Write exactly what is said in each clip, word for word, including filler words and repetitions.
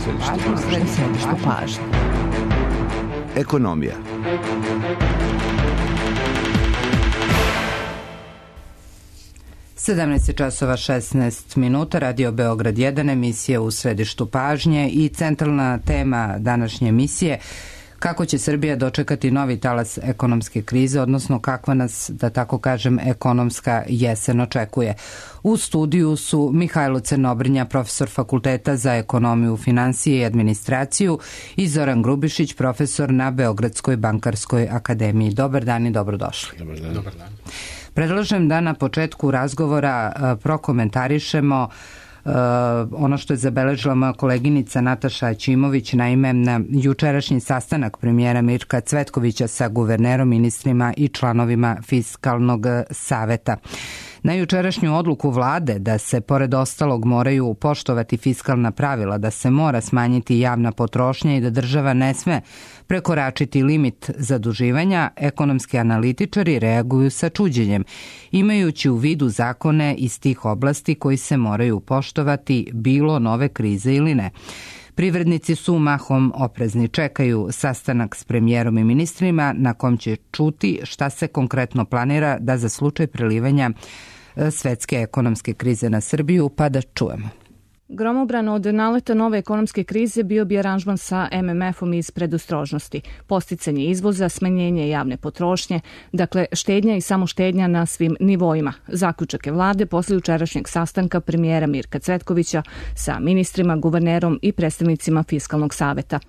središtu pažnje. Ekonomija. sedamnaest časova šesnaest minuta, Radio Beograd jedan, emisija u središtu pažnje i centralna tema današnje emisije: kako će Srbija dočekati novi talas ekonomske krize, odnosno kakva nas, da tako kažem, ekonomska jesen očekuje. U studiju su Mihajlo Crnobrnja, profesor Fakulteta za ekonomiju, finansije i administraciju, i Zoran Grubišić, profesor na Beogradskoj bankarskoj akademiji. Dobar dan i dobrodošli. Dobar dan. Dobar dan. Predlažem da na početku razgovora prokomentarišemo Uh, ono što je zabeležila moja koleginica Nataša Ćimović, naime na jučerašnji sastanak premijera Mirka Cvetkovića sa guvernerom, ministrima i članovima Fiskalnog saveta. Na jučerašnju odluku vlade da se pored ostalog moraju poštovati fiskalna pravila, da se mora smanjiti javna potrošnja i da država ne sme prekoračiti limit zaduživanja, ekonomski analitičari reaguju sa čuđenjem, imajući u vidu zakone iz tih oblasti koji se moraju poštovati bilo nove krize ili ne. Privrednici su mahom oprezni, čekaju sastanak s premijerom i ministrima na kom će čuti šta se konkretno planira da za slučaj prelivanja svetske ekonomske krize na Srbiju, pa da čujemo. Gromobran od naleta nove ekonomske krize bio bi aranžman sa em em efom iz predostrožnosti, posticanje izvoza, smanjenje javne potrošnje, dakle štednja i samo štednja na svim nivoima. Zaključak je vlade posle jučerašnjeg sastanka premijera Mirka Cvetkovića sa ministrima, guvernerom i predstavnicima Fiskalnog saveta.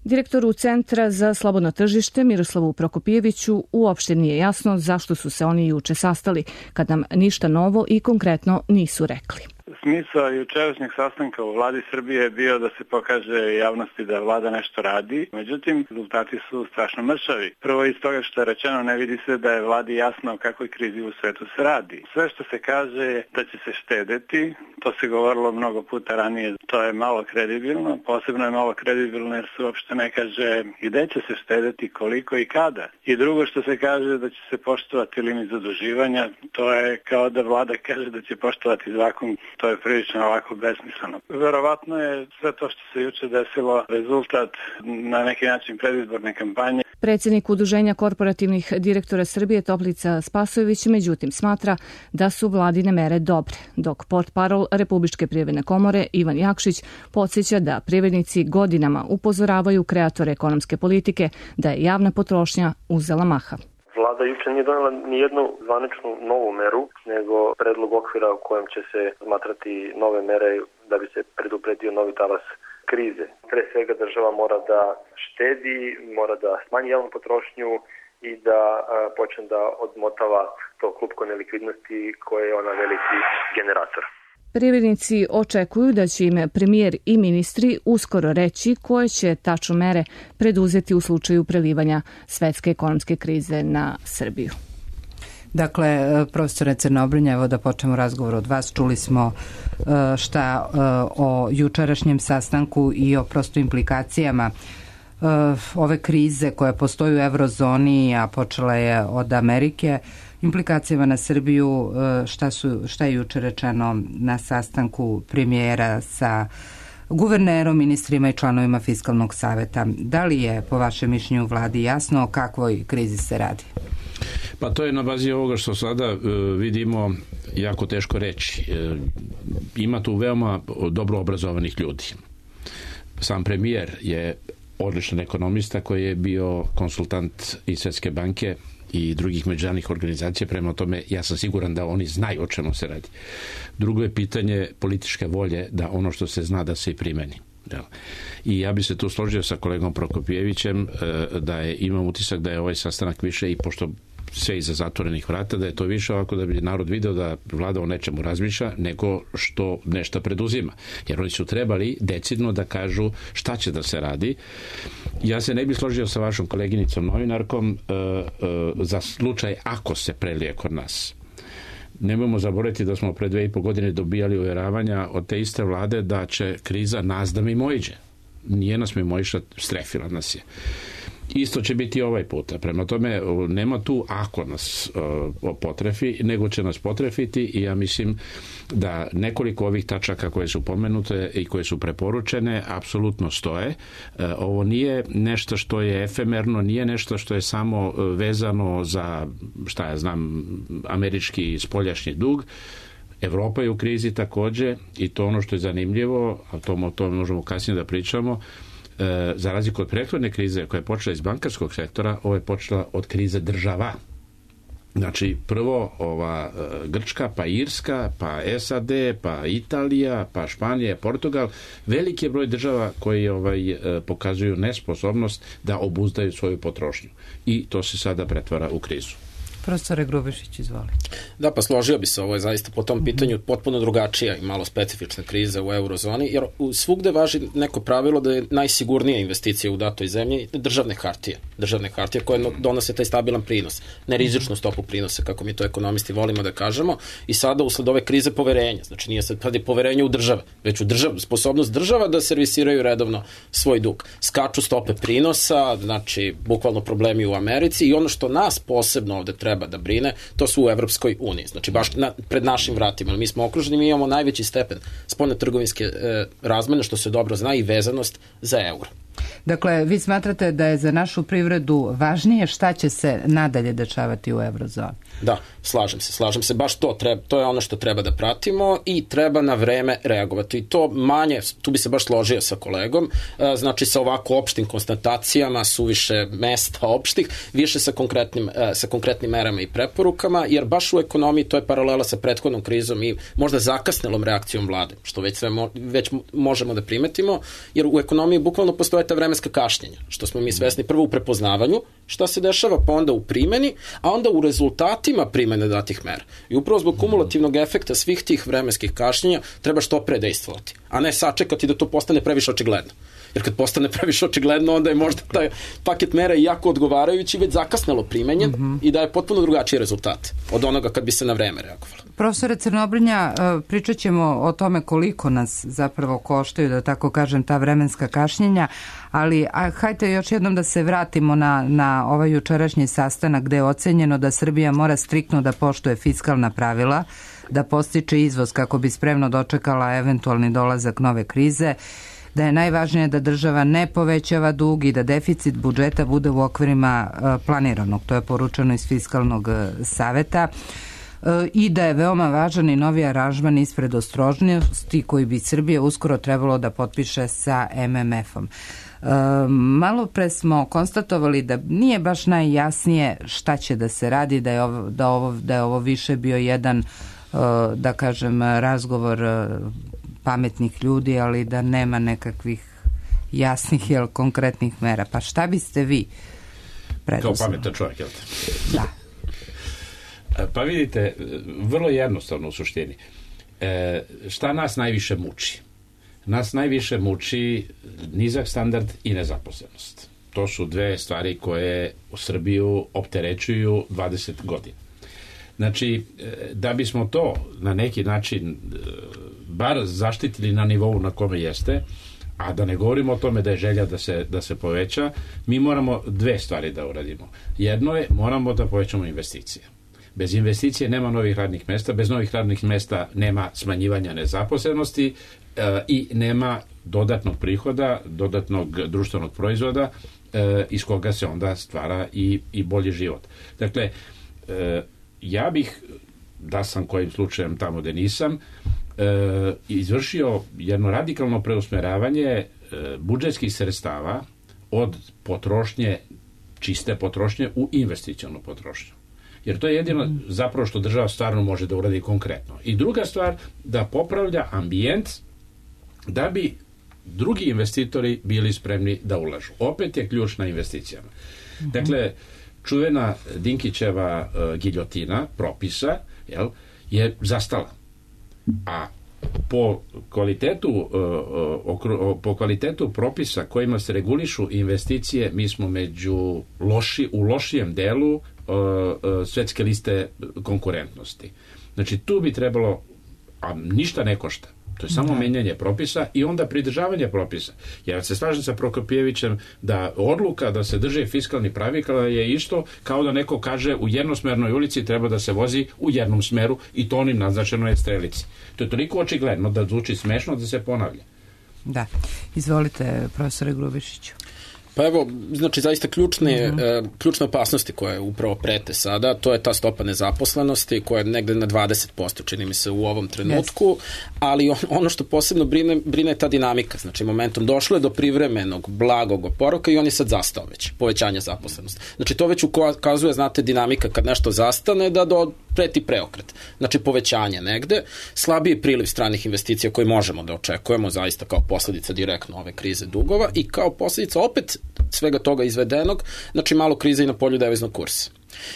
Direktoru Centra za slobodno tržište Miroslavu Prokopijeviću uopšte nije jasno zašto su se oni juče sastali, kad nam ništa novo i konkretno nisu rekli. Smisao jučerašnjeg sastanka u vladi Srbije je bio da se pokaže javnosti da vlada nešto radi, međutim rezultati su strašno mršavi. Prvo iz toga što je rečeno, ne vidi se da je vladi jasno o kakvoj krizi u svetu se radi. Sve što se kaže je da će se štedeti, to se govorilo mnogo puta ranije, to je malo kredibilno, posebno je malo kredibilno jer se uopšte ne kaže gde će se štedeti, koliko i kada. I drugo što se kaže da će se poštovati limit zaduživanja, to je kao da vlada kaže da će poštovati zakon. To je prilično ovako besmisleno. Verovatno je sve to što se juče desilo rezultat na neki način predizborne kampanje. Predsjednik Udruženja korporativnih direktora Srbije Toplica Spasojević međutim smatra da su vladine mere dobre, dok portparol Republičke privredne komore Ivan Jakšić podsjeća da privrednici godinama upozoravaju kreatore ekonomske politike da je javna potrošnja uzela maha. Vlada juče nije donela ni jednu zvaničnu novu meru, nego predlog okvira u kojem će se smatrati nove mere da bi se predupredio novi talas krize. Pre svega država mora da štedi, mora da smanji javnu potrošnju i da a, počne da odmotava to klupko nelikvidnosti koje je ona veliki generator. Privrednici očekuju da će im premijer i ministri uskoro reći koje će tačno mere preduzeti u slučaju prelivanja svetske ekonomske krize na Srbiju. Dakle, profesore Crnobrnja, evo da počnemo razgovor od vas. Čuli smo šta o jučerašnjem sastanku i o prosto implikacijama ove krize koja postoji u eurozoni, a počela je od Amerike. Implikacijama na Srbiju, šta, su, šta je juče rečeno na sastanku premijera sa guvernerom, ministrima i članovima Fiskalnog saveta. Da li je po vašem mišljenju vladi jasno o kakvoj krizi se radi? Pa to je na bazi ovoga što sada e, vidimo jako teško reći. E, ima tu veoma dobro obrazovanih ljudi. Sam premijer je odličan ekonomista koji je bio konsultant i Svetske banke i drugih međunarodnih organizacija, prema tome ja sam siguran da oni znaju o čemu se radi. Drugo je pitanje političke volje da ono što se zna da se i primeni. I ja bi se tu složio sa kolegom Prokopijevićem da je, imam utisak da je ovaj sastanak više, i pošto sve iza zatvorenih vrata, da je to više ovako da bi narod video da vlada o nečemu razmišlja nego što nešto preduzima. Jer oni su trebali decidno da kažu šta će da se radi. Ja se ne bih složio sa vašom koleginicom novinarkom uh, uh, za slučaj ako se prelije kod nas. Nemojmo zaboraviti da smo pre dve i po godine dobijali uvjeravanja od te iste vlade da će kriza nas da mimoiđe. Nije nas mimoišla, strefila nas je. Isto će biti ovaj puta. Prema tome, nema tu ako nas uh, potrefi, nego će nas potrefiti i ja mislim da nekoliko ovih tačaka koje su pomenute i koje su preporučene apsolutno stoje. Uh, ovo nije nešto što je efemerno, nije nešto što je samo vezano za, šta ja znam, američki spoljašnji dug. Evropa je u krizi takođe i to ono što je zanimljivo, a to, o tome možemo kasnije da pričamo, e, za razliku od prethodne krize koja je počela iz bankarskog sektora, ovo je počela od krize država. Znači, prvo ova e, Grčka, pa Irska, pa S A D, pa Italija, pa Španija, Portugal, veliki je broj država koji ovaj, e, pokazuju nesposobnost da obuzdaju svoju potrošnju. I to se sada pretvara u krizu. Profesore Grubišić, izvolite. Da, pa složio bi se, ovo je zaista po tom pitanju potpuno drugačija i malo specifična kriza u eurozoni, jer svugde važi neko pravilo da je najsigurnija investicija u datoj zemlji državne hartije. Državne hartije koje donose taj stabilan prinos, nerizičnu stopu prinosa, kako mi to ekonomisti volimo da kažemo, i sada usled ove krize poverenja, znači nije sad kad je poverenje u države, već u držav, sposobnost država da servisiraju redovno svoj dug. Skaču stope prinosa, znači bukvalno problemi u Americi i ono što nas posebno ovde treba treba da brine, to su u Evropskoj uniji. Znači, baš na, pred našim vratima. Mi smo okruženi, mi imamo najveći stepen spoljnotrgovinske e, razmene, što se dobro zna, i vezanost za euro. Dakle, vi smatrate da je za našu privredu važnije šta će se nadalje dešavati u eurozoni? Da, slažem se, slažem se. Baš to, treba, to je ono što treba da pratimo i treba na vreme reagovati. I to manje, tu bi se baš složio sa kolegom, znači sa ovako opštim konstatacijama, suviše mesta opštih, više sa konkretnim, sa konkretnim merama i preporukama, jer baš u ekonomiji to je paralela sa prethodnom krizom i možda zakasnelom reakcijom vlade, što već, sve mo, već možemo da primetimo, jer u ekonomiji bukvalno postoje ta vremenska kašnjenja, što smo mi svesni prvo u prepoznavanju šta se dešava, pa onda u primeni, a onda u rezultatima primene datih mera. I upravo zbog kumulativnog efekta svih tih vremenskih kašnjenja treba što pre dejstvovati, a ne sačekati da to postane previše očigledno. Jer kad postane previše očigledno, onda je možda taj paket mera jako odgovarajući, već zakasnelo primenjen mm-hmm. i daje potpuno drugačiji rezultat od onoga kad bi se na vreme reagovalo. Profesore Crnobrnja, pričat ćemo o tome koliko nas zapravo koštaju, da tako kažem, ta vremenska kašnjenja, ali a, hajde još jednom da se vratimo na, na ovaj jučerašnji sastanak gde je ocenjeno da Srbija mora striktno da poštuje fiskalna pravila, da postiče izvoz kako bi spremno dočekala eventualni dolazak nove krize, da je najvažnije da država ne povećava dug i da deficit budžeta bude u okvirima planiranog. To je poručeno iz Fiskalnog saveta. I da je veoma važan i novi aranžman ispred ostrožnosti koji bi Srbija uskoro trebalo da potpiše sa em em efom. Malo pre smo konstatovali da nije baš najjasnije šta će da se radi, da je ovo, da ovo, da je ovo više bio jedan, da kažem, razgovor pametnih ljudi, ali da nema nekakvih jasnih ili konkretnih mera. Pa šta biste vi predoslali? Kao pametan čovjek, jel te? Da. Pa vidite, vrlo jednostavno u suštini. E, šta nas najviše muči? Nas najviše muči nizak standard i nezaposlenost. To su dve stvari koje u Srbiju opterećuju dvadeset godina. Znači, da bismo to na neki način bar zaštitili na nivou na kome jeste, a da ne govorimo o tome da je želja da se, da se poveća, mi moramo dve stvari da uradimo. Jedno je, moramo da povećamo investicije. Bez investicije nema novih radnih mesta, bez novih radnih mesta nema smanjivanja nezaposlenosti e, i nema dodatnog prihoda, dodatnog društvenog proizvoda e, iz koga se onda stvara i, i bolji život. Dakle, e, ja bih, da sam kojim slučajem tamo gde nisam, e, izvršio jedno radikalno preusmeravanje e, budžetskih sredstava od potrošnje, čiste potrošnje u investicionu potrošnju. Jer to je jedino zapravo što država stvarno može da uradi konkretno. I druga stvar, da popravlja ambijent da bi drugi investitori bili spremni da ulažu. Opet je ključ na investicijama. Dakle, čuvena Dinkićeva uh, giljotina propisa, jel, je zastala. A po kvalitetu, uh, okru, po kvalitetu propisa kojima se regulišu investicije, mi smo među loši, u lošijem delu uh, uh, svetske liste konkurentnosti. Znači, tu bi trebalo, a ništa ne košta, To je samo menjanje propisa i onda pridržavanje propisa. Ja se slažem sa Prokopijevićem da odluka da se drže fiskalni pravila je isto kao da neko kaže u jednosmernoj ulici treba da se vozi u jednom smeru i to onim naznačenoj strelici. To je toliko očigledno da zvuči smešno da se ponavlja. Da. Izvolite, profesore Grubišiću. Pa evo, znači zaista ključne, mm-hmm. e, ključne opasnosti koje upravo prete sada, to je ta stopa nezaposlenosti koja je negde na dvadeset posto, čini mi se u ovom trenutku, yes. ali on, ono što posebno brine, brine je ta dinamika. Znači momentom došlo je do privremenog blagog oporavka i on je sad zastao već, povećanje zaposlenosti. Znači to već ukazuje, znate, dinamika kad nešto zastane da do preti preokret. Znači povećanje negde, slabiji priliv stranih investicija koje možemo da očekujemo zaista kao posledica direktno ove krize dugova i kao posledica opet svega toga izvedenog, znači malo krize i na polju deviznog kursa.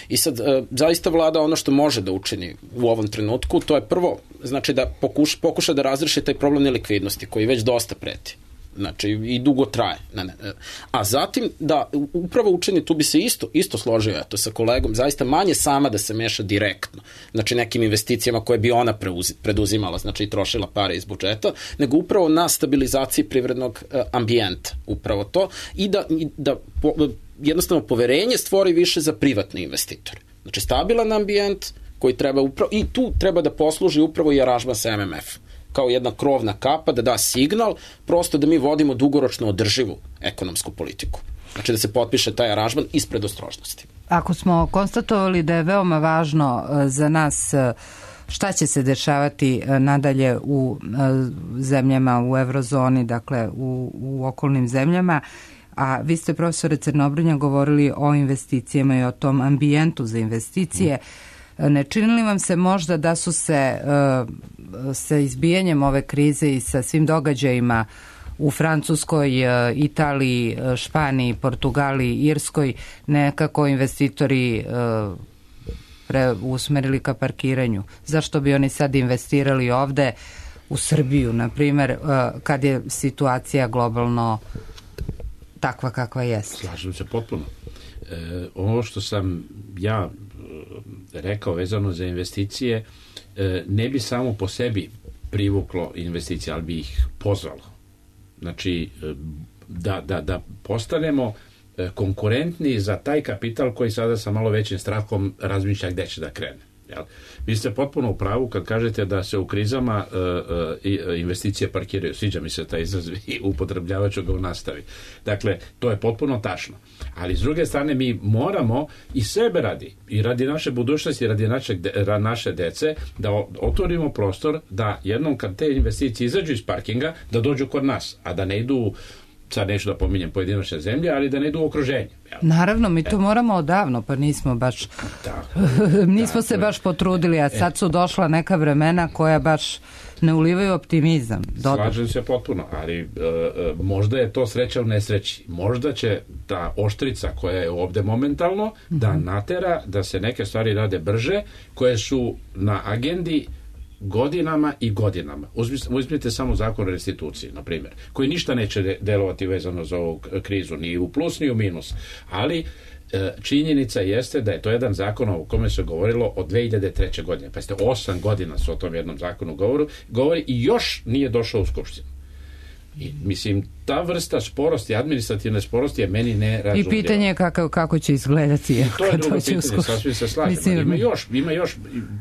I sad, e, zaista vlada ono što može da učini u ovom trenutku, to je prvo, znači da pokuša, pokuša da razreši taj problem nelikvidnosti koji već dosta preti. Znači, i dugo traje. Ne, ne. A zatim, da upravo učini, tu bi se isto, isto složio, eto, sa kolegom, zaista manje sama da se meša direktno, znači nekim investicijama koje bi ona preuzi, preduzimala, znači i trošila pare iz budžeta, nego upravo na stabilizaciji privrednog uh, ambijenta, upravo to, i da, i da po, jednostavno poverenje stvori više za privatne investitore. Znači, stabilan ambijent koji treba upravo, i tu treba da posluži upravo i aranžman sa M M F kao jedna krovna kapa, da da signal, prosto da mi vodimo dugoročno održivu ekonomsku politiku. Znači da se potpiše taj aranžman ispred ostrožnosti. Ako smo konstatovali da je veoma važno za nas šta će se dešavati nadalje u zemljama u eurozoni, dakle u, u okolnim zemljama, a vi ste, profesore Crnobrnja, govorili o investicijama i o tom ambijentu za investicije, ne čini li vam se možda da su se sa izbijanjem ove krize i sa svim događajima u Francuskoj, Italiji, Španiji, Portugaliji, Irskoj nekako investitori usmerili ka parkiranju? Zašto bi oni sad investirali ovde u Srbiju, na primer, kad je situacija globalno takva kakva jeste? Slažem se potpuno. E, ovo što sam ja rekao vezano za investicije, ne bi samo po sebi privuklo investicije, ali bi ih pozvalo. Znači, da, da, da postanemo konkurentni za taj kapital koji sada sa malo većim strahom razmišlja gde će da krene. Jel? Vi ste potpuno u pravu kad kažete da se u krizama uh, uh, investicije parkiraju. Sviđa mi se taj izraz i upotrebljavat ću ga u nastavi. Dakle, to je potpuno tačno. Ali s druge strane mi moramo i sebe radi, i radi naše budućnosti, i radi naše, naše dece, da otvorimo prostor da jednom kad te investicije izađu iz parkinga, da dođu kod nas, a da ne idu, sad neću da pominjem pojedinačne zemlje, ali da ne idu u okruženje. Jel? Naravno, mi to e. moramo odavno, pa nismo baš tako, nismo tako, se baš potrudili, a sad su došla neka vremena koja baš ne ulivaju optimizam. Dodatno. Slažem se potpuno, ali e, možda je to sreća u nesreći. Možda će ta oštrica koja je ovde momentalno mm-hmm. da natera da se neke stvari rade brže, koje su na agendi godinama i godinama. Uzmite samo zakon o restituciji, na primjer, koji ništa neće delovati vezano za ovu krizu, ni u plus, ni u minus. Ali e, činjenica jeste da je to jedan zakon o kome se govorilo od dve hiljade treće. godine. Pa ste osam godina se o tom jednom zakonu govoru, govori i još nije došao u Skupštinu. I, mislim, ta vrsta sporosti, administrativne sporosti je meni nerazumljiva. I pitanje je kako, kako će izgledati. To je drugo pitanje, sasvim se slažem. Mislim, ima još, ima još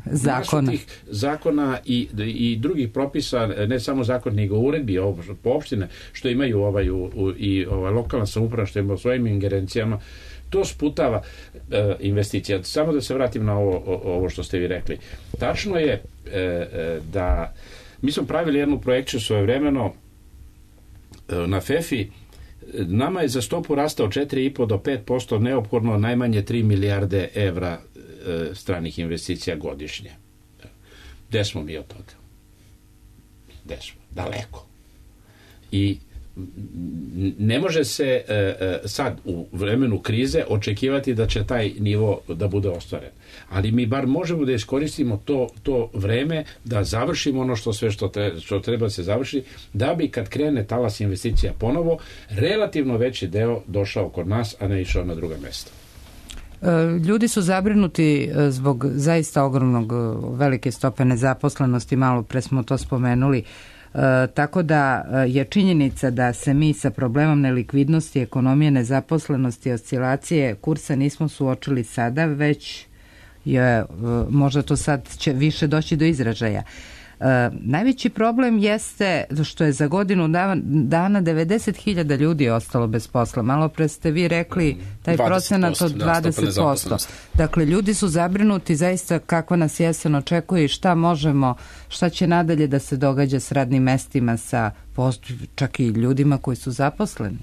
zakona. Tih zakona i, i drugih propisa, ne samo zakon, nego uredbi po opštine, što imaju ovaj, u, u, i ovaj, lokalna samouprava, što ima u svojim ingerencijama, to sputava e, investicija. Samo da se vratim na ovo, o, ovo što ste vi rekli. Tačno je e, e, da mi smo pravili jednu projekciju svojevremeno na F E F I. Nama je za stopu rasta od četiri i po do pet posto neophodno najmanje tri milijarde evra e, stranih investicija godišnje. Gde smo mi od toga? Gde smo? Daleko. I ne može se e, e, sad u vremenu krize očekivati da će taj nivo da bude ostvaren. Ali mi bar možemo da iskoristimo to, to vreme da završimo ono što sve što, tre, što treba da se završi, da bi kad krene talas investicija ponovo, relativno veći deo došao kod nas, a ne išao na druga mesta. Ljudi su zabrinuti zbog zaista ogromnog velike stope nezaposlenosti, malo pre smo to spomenuli. E, tako da je činjenica da se mi sa problemom nelikvidnosti, ekonomije, nezaposlenosti, oscilacije kursa nismo suočili sada, već je, možda to sad će više doći do izražaja. E, najveći problem jeste što je za godinu dana devedeset hiljada ljudi ostalo bez posla. Malo pre ste vi rekli taj procenat od dvadeset posto. Dakle, ljudi su zabrinuti zaista kakva nas jesen očekuje i šta možemo, šta će nadalje da se događa s radnim mestima, sa čak i ljudima koji su zaposleni.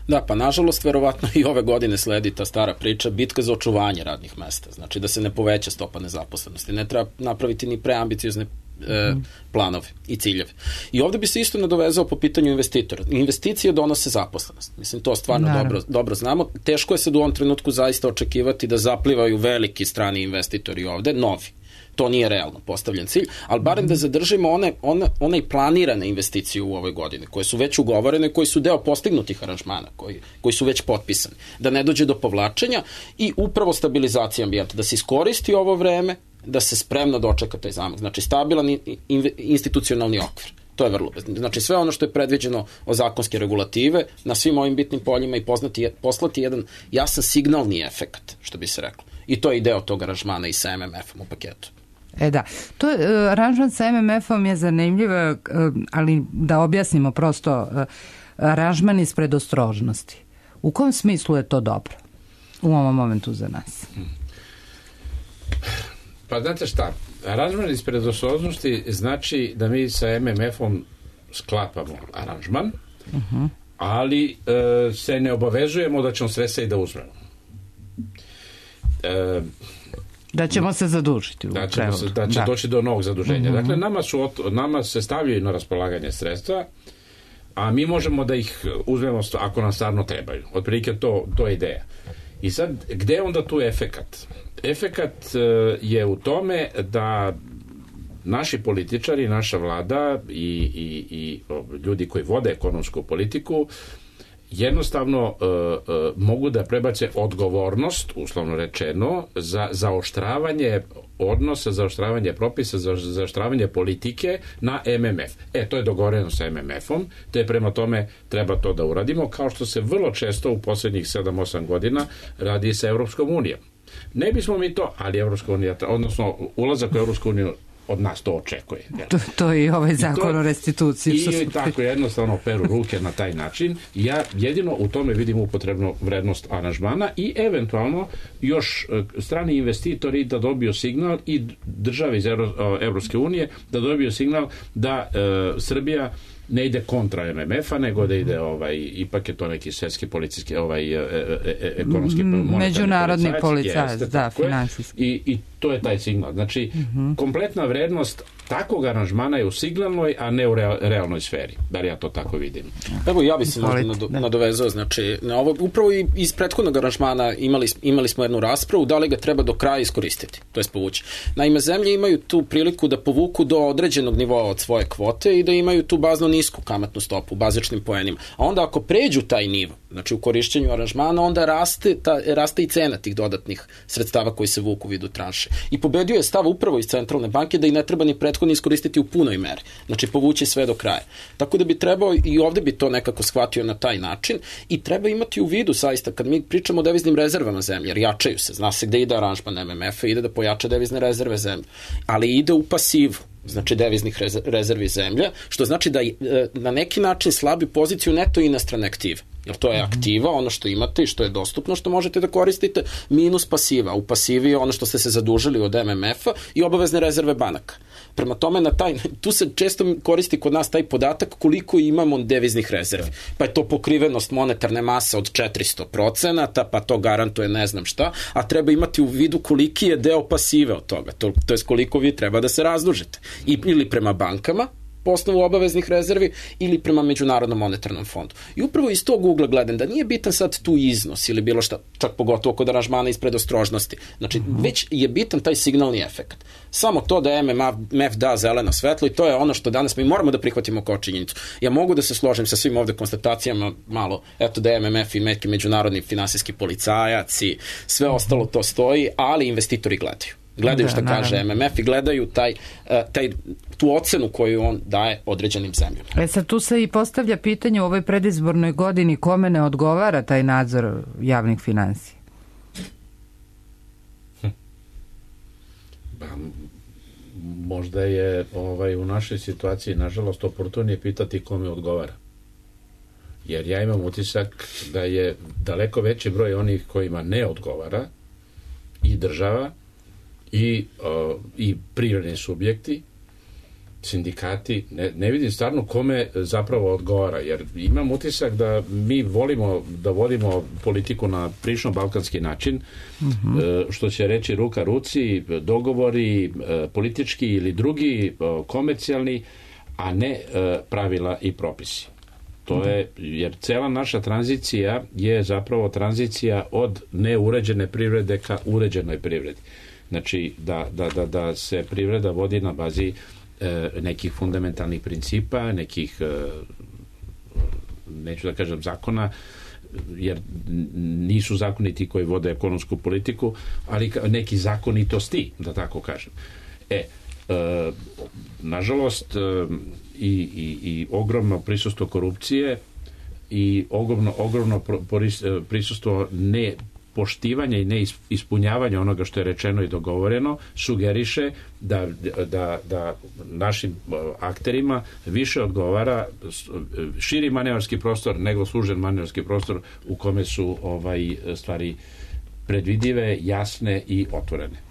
Da, pa nažalost, verovatno i ove godine sledi ta stara priča, bitka za očuvanje radnih mesta. Znači da se ne poveća stopa nezaposlenosti. Ne treba napraviti ni preambiciozne e, planove i ciljeve. I ovde bi se isto nadovezao po pitanju investitora. Investicije donose zaposlenost. Mislim, to stvarno dobro, dobro znamo. Teško je sad u ovom trenutku zaista očekivati da zaplivaju veliki strani investitori ovde, novi. To nije realno postavljen cilj, ali barem da zadržimo one, one, one planirane investicije u ovoj godini, koje su već ugovorene, koji su deo postignutih aranžmana, koji, koji su već potpisani. Da ne dođe do povlačenja i upravo stabilizacija ambijenta, da se iskoristi ovo vreme, da se spremno dočeka taj zamak. Znači, stabilan institucionalni okvir. To je vrlo bezbedno. Znači, sve ono što je predviđeno o zakonske regulative na svim ovim bitnim poljima i poznati, poslati jedan jasan signalni efekat, što bi se reklo. I to je i deo tog aranžmana i sa em em efom u paketu. E da, to je, aranžman sa em em efom je zanimljiv, ali da objasnimo prosto, aranžman iz predostrožnosti. U kom smislu je to dobro u ovom momentu za nas? Pa znate šta, aranžman iz predostrožnosti znači da mi sa em em efom sklapamo aranžman, uh-huh. ali e, se ne obavezujemo da ćemo sredstva i da uzmemo. E, Da ćemo se zadužiti. Da, ćemo se, da će da. doći do novog zaduženja. Mm-hmm. Dakle, nama, su, nama se stavljaju na raspolaganje sredstva, a mi možemo da ih uzmemo ako nam stvarno trebaju. Otprilike to, to je ideja. I sad, gde je onda tu efekat? Efekat je u tome da naši političari, naša vlada i, i, i ljudi koji vode ekonomsku politiku jednostavno uh, uh, mogu da prebace odgovornost, uslovno rečeno, za zaoštravanje odnosa, zaoštravanje propisa, za zaoštravanje politike na em em ef. E, to je dogovoreno sa em em efom, te prema tome treba to da uradimo, kao što se vrlo često u poslednjih sedam osam godina radi sa Evropskom unijom. Ne bismo mi to, ali Evropska unija, odnosno ulazak u Evropsku uniju od nas to očekuje. To, to je i ovaj zakon to, o restituciji. I su... tako jednostavno peru ruke na taj način. Ja jedino u tome vidim upotrebnu vrednost aranžmana i eventualno još strani investitori da dobiju signal i države iz Evropske unije da dobiju signal da e, Srbija ne ide kontra em em efa, nego da ide ovaj, ipak je to neki svetski policijski ovaj, e, e, ekonomski međunarodni policajac, da, finansijski. I, I to je taj signal. Znači, uh-huh. kompletna vrednost takvog aranžmana je u signalnoj, a ne u realnoj sferi. Bar ja to tako vidim. Evo, ja bi se možda nadovezao, znači, na ovo, upravo i iz prethodnog aranžmana imali, imali smo jednu raspravu, da li ga treba do kraja iskoristiti, to je povući. Naime, zemlje imaju tu priliku da povuku do određenog nivoa od svoje kvote i da imaju tu bazno nisku kamatnu stopu, bazičnim poenima. A onda ako pređu taj nivo, znači u korišćenju aranžmana, onda raste, ta, raste i cena tih dodatnih sredstava koji se vuku u vidu tranše. I pobedio je stav upravo iz centralne banke da i ne treba ni prethodno iskoristiti u punoj meri. Znači povući sve do kraja. Tako da bi trebao i ovde bi to nekako shvatio na taj način i treba imati u vidu saista kad mi pričamo o deviznim rezervama zemlje, jer jačaju se, zna se gde ide aranžman em em efa, ide da pojača devizne rezerve zemlje, ali ide u pasivu, znači deviznih rezervi zemlja, što znači da na neki način slabi poziciju neto inostrane aktive. Jer to je aktiva, ono što imate i što je dostupno, što možete da koristite, minus pasiva. U pasivi je ono što ste se zadužili od em em efa i obavezne rezerve banaka. Prema tome, na taj, tu se često koristi kod nas taj podatak koliko imamo deviznih rezervi. Pa je to pokrivenost monetarne mase od četiristo procenata, pa to garantuje ne znam šta, a treba imati u vidu koliki je deo pasive od toga. To, to je koliko vi treba da se razdužite. I, ili prema bankama, po osnovu obaveznih rezervi ili prema Međunarodnom monetarnom fondu. I upravo iz tog ugla gledam da nije bitan sad tu iznos ili bilo šta, čak pogotovo kod aranžmana iz predostrožnosti. Znači, mm-hmm. već je bitan taj signalni efekt. Samo to da em em ef da zeleno svetlo i to je ono što danas mi moramo da prihvatimo kao činjenicu. Ja mogu da se složim sa svim ovde konstatacijama malo, eto da em em ef i neki međunarodni finansijski policajac i sve ostalo to stoji, ali investitori gledaju. Gledaju da, šta naravno. kaže M M F i gledaju taj, taj, tu ocenu koju on daje određenim zemljama. E sad tu se i postavlja pitanje u ovoj predizbornoj godini kome ne odgovara taj nadzor javnih finansija. Hm. Ba, možda je ovaj, u našoj situaciji nažalost oportunije pitati kome odgovara. Jer ja imam utisak da je daleko veći broj onih kojima ne odgovara i država i, uh, i privredni subjekti, sindikati, ne, ne vidim stvarno kome zapravo odgovara, jer imam utisak da mi volimo da vodimo politiku na prilično balkanski način, mm-hmm. uh, što će reći ruka ruci, dogovori uh, politički ili drugi, uh, komercijalni, a ne uh, pravila i propisi. To je, jer cela naša tranzicija je zapravo tranzicija od neuređene privrede ka uređenoj privredi. Znači, da, da, da, da se privreda vodi na bazi e, nekih fundamentalnih principa, nekih, e, neću da kažem zakona, jer nisu zakoni ti koji vode ekonomsku politiku, ali neki zakonitosti, da tako kažem. E, e nažalost, e, I, i, i ogromno prisustvo korupcije i ogromno, ogromno prisustvo ne poštivanja i ne ispunjavanja onoga što je rečeno i dogovoreno sugeriše da, da, da našim akterima više odgovara širi manevarski prostor nego služen manevarski prostor u kome su ovaj stvari predvidive, jasne i otvorene.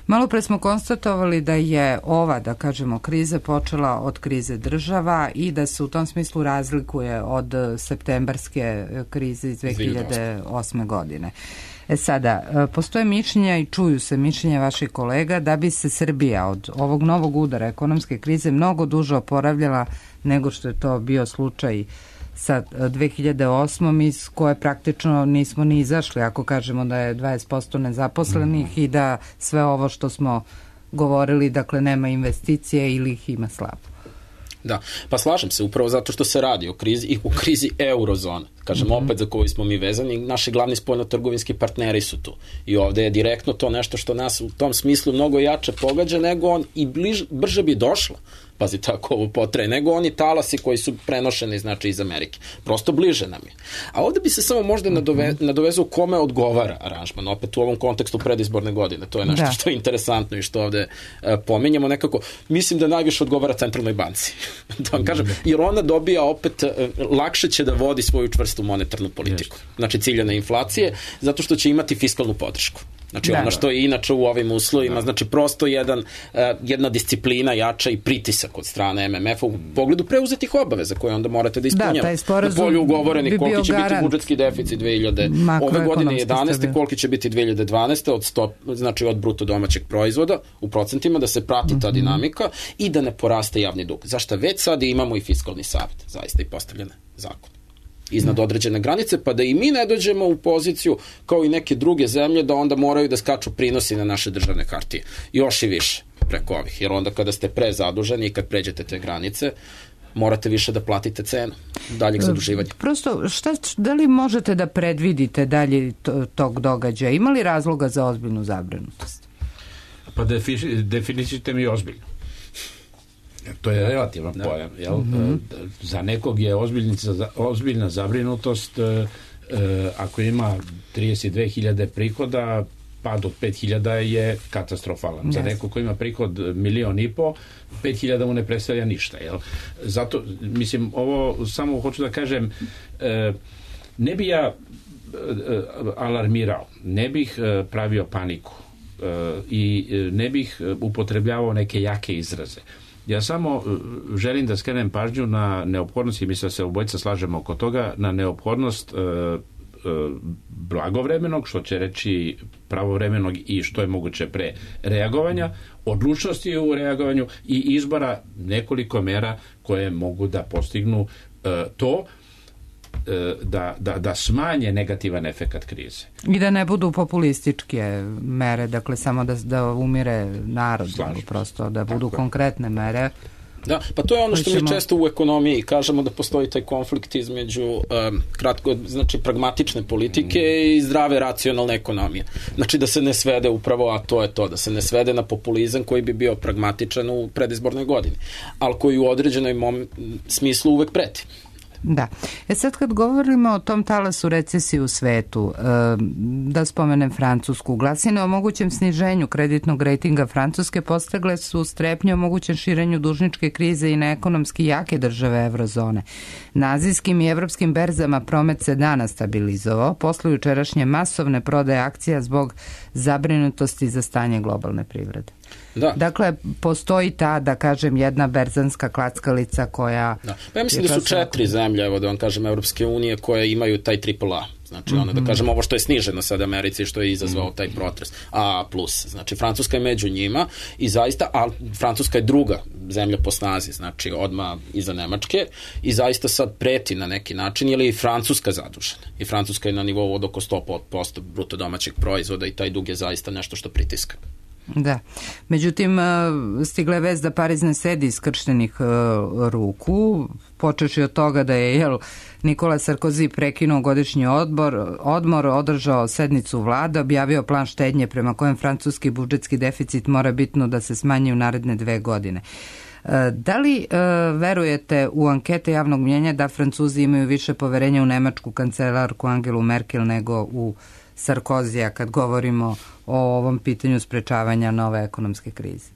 Malo pre smo konstatovali da je ova, da kažemo, kriza počela od krize država i da se u tom smislu razlikuje od septembarske krize iz dve hiljade osme. godine. E sada, postoje mišljenja i čuju se mišljenja vaših kolega da bi se Srbija od ovog novog udara ekonomske krize mnogo duže oporavljala nego što je to bio slučaj sa dve hiljade osmom iz koje praktično nismo ni izašli, ako kažemo da je dvadeset posto nezaposlenih mm. i da sve ovo što smo govorili, dakle nema investicije ili ih ima slabo. Da, pa slažem se, upravo zato što se radi o krizi i u krizi eurozone. Kažem, mm-hmm. opet za koju smo mi vezani, naši glavni spoljnotrgovinski partneri su tu. I ovde je direktno to nešto što nas u tom smislu mnogo jače pogađa nego on i bliž, brže bi došlo. Pazi, tako ovo potraje, nego oni talasi koji su prenošeni, znači, iz Amerike. Prosto bliže nam je. A ovde bi se samo možda nadove, nadovezao kome odgovara aranžman, opet u ovom kontekstu predizborne godine. To je nešto da. Što je interesantno i što ovde e, pominjamo nekako. Mislim da najviše odgovara Centralnoj banci. Da vam kažem, jer ona dobija opet, e, lakše će da vodi svoju čvrstu monetarnu politiku. Znači, ciljane inflacije, zato što će imati fiskalnu podršku. Znači, da, ono što je inače u ovim uslovima, da. Znači, prosto jedan, uh, jedna disciplina jača i pritisak od strane M M F-a u pogledu preuzetih obaveza koje onda morate da ispunjavate. Da, na polju ugovorenih, bi koliki će biti budžetski deficit dve hiljade ove godine jedanaeste, koliki će biti dve hiljade dvanaeste od stop, znači od bruto domaćeg proizvoda u procentima, da se prati ta dinamika mm-hmm. i da ne poraste javni dug. Zašto već sad imamo i fiskalni savet, zaista i postavljene zakon iznad određene granice, pa da i mi ne dođemo u poziciju kao i neke druge zemlje da onda moraju da skaču prinosi na naše državne hartije. Još i više preko ovih, jer onda kada ste prezaduženi i kad pređete te granice, morate više da platite cenu daljeg zaduživanja. Prosto, šta, da li možete da predvidite dalje tog događaja? Ima li razloga za ozbiljnu zabrinutost? Pa definicijte mi ozbiljno. To je relativan da. Pojam. Jel? Mm-hmm. Za nekog je ozbiljna zabrinutost e, ako ima trideset dve hiljade prihoda, pad od pet hiljada je katastrofalan. Yes. Za nekog ko ima prihod milion i po, pet hiljada mu ne predstavlja ništa. Jel? Zato, mislim, ovo samo hoću da kažem, e, ne bi ja e, alarmirao, ne bih e, pravio paniku e, i ne bih upotrebljavao neke jake izraze. Ja samo želim da skrenem pažnju na neophodnost, i mislim da se obojica slažemo oko toga, na neophodnost e, e, blagovremenog, što će reći pravovremenog i što je moguće pre reagovanja, odlučnosti u reagovanju i izbora nekoliko mera koje mogu da postignu e, to Da, da, da smanje negativan efekat krize. I da ne budu populističke mere, dakle samo da, da umire narod, nego prosto da budu Tako. konkretne mere Da, pa to je ono što mi često u ekonomiji kažemo, da postoji taj konflikt između um, kratko, znači pragmatične politike i zdrave racionalne ekonomije. Znači da se ne svede upravo, a to je to, da se ne svede na populizam koji bi bio pragmatičan u predizbornoj godini, ali koji u određenoj mom smislu uvek preti. Da. E sad kad govorimo o tom talasu recesije u svetu, da spomenem Francusku, glasine o mogućem sniženju kreditnog rejtinga Francuske postagle su strepnje o mogućem širenju dužničke krize i na ekonomski jake države eurozone. Na azijskim i evropskim berzama promet se dana stabilizovao posle jučerašnje masovne prodaje akcija zbog zabrinutosti za stanje globalne privrede. Da. Dakle, postoji ta, da kažem, jedna berzanska klackalica koja... Da. Pa ja mislim da su četiri zemlje, evo da vam kažem, Evropske unije koje imaju taj triple A. Znači, ono, da kažem, ovo što je sniženo sad Americi, što je izazvao taj protres. A plus. Znači, Francuska je među njima i zaista, a Francuska je druga zemlja po snazi, znači, odmah iza Nemačke i zaista sad preti na neki način, jer je i Francuska zadužena. I Francuska je na nivou od oko sto posto bruto domaćeg proizvoda i taj dug je zaista nešto što pritiska. Da. Međutim, stigla je vest da Pariz ne sedi iskrštenih ruku, počeši od toga da je jel, Nikola Sarkozy prekinuo godišnji odbor, odmor, održao sednicu vlade, objavio plan štednje prema kojem francuski budžetski deficit mora bitno da se smanji u naredne dve godine. Da li e, verujete u ankete javnog mnjenja da Francuzi imaju više poverenja u nemačku kancelarku Angelu Merkel nego u Sarkozija kad govorimo o ovom pitanju sprečavanja nove ekonomske krize?